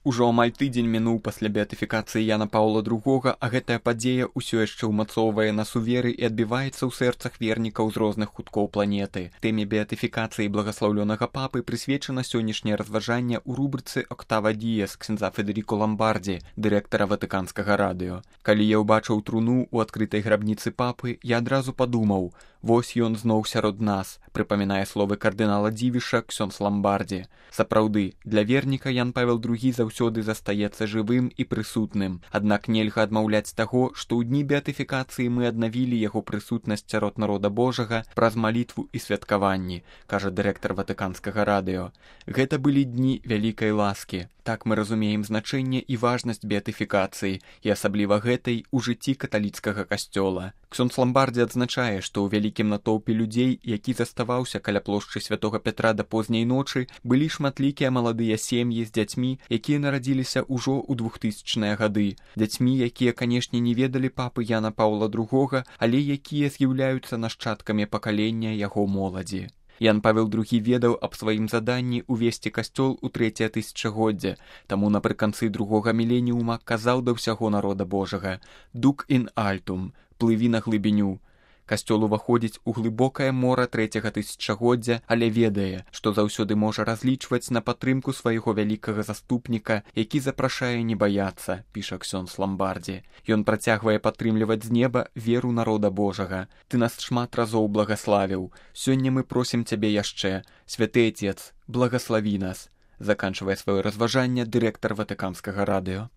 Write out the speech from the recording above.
Ужо амаль тыдзень мінуў пасля беатыфікацыі Яна Паўла II, а гэтая падзея ўсё яшчэ ўмацоўвае нас у веры і адбіваецца ў сэрцах вернікаў з розных куткоў планеты. Тэме беатыфікацыі благаслаўлёнага папы прысвечана сённяшняе разважанне ў рубрыцы «Октава Діес» ксяндза Федэріко Ламбардзі, дырэктара Ватыканскага радыё. Калі я ўбачыў труну ў адкрытай грабніцы папы, я адразу падумаў: вось ён зноў сярод нас, прыпамінае словы кардынала Дзівіша ксёндз Ламбардзі. Сапраўды, для верніка Ян Павел II заўсёды застаецца жывым і прысутным. Аднак нельга адмаўляць таго, што ў дні беатыфікацыі мы аднавілі яго прысутнасць сярод народа Божага праз малітву і святкаванні, кажа дырэктар Ватыканскага радыё. Гэта былі дні вялікай ласкі. Так мы разумеем значэнне і важнасць беатыфікацыі, і асабліва гэтай у жыцці каталіцкага касцёла. Ксёндз Ламбардзі адзначае, што ў вялікім натоўпе людзей, які заставаўся каля плошчы Святога Пятра да позняй ночы, былі шматлікія маладыя сем'і з дзяцьмі, якія нарадзіліся ўжо ў 2000-е гады. Дзяцьмі, якія, канешне, не ведалі папы Яна Паўла II, але якія з'яўляюцца нашчадкамі пакалення яго моладзі. Ян Павел II ведаў аб сваім заданні ўвесці касцёл у 3-е тысячагоддзе, таму напрыканцы 2-го міленіума казаў да ўсяго народа Божага: «Дук ін альтум» – «Плыві на глыбіню». Касцёл уваходзіць у глыбокае мора 3-го тысячагоддзя, але ведае, што заўсёды можа разлічваць на падтрымку свайго вялікага заступніка, які запрашае не баяцца, піша ксёндз Ламбардзі. Ён працягвае падтрымліваць з неба веру народа Божага. «Ты нас шмат разоў благаславіў. Сёння мы просім цябе яшчэ. Святы Отец, благаславі нас», заканчвае сваё разважанне дырэктар Ватыканскага радыё.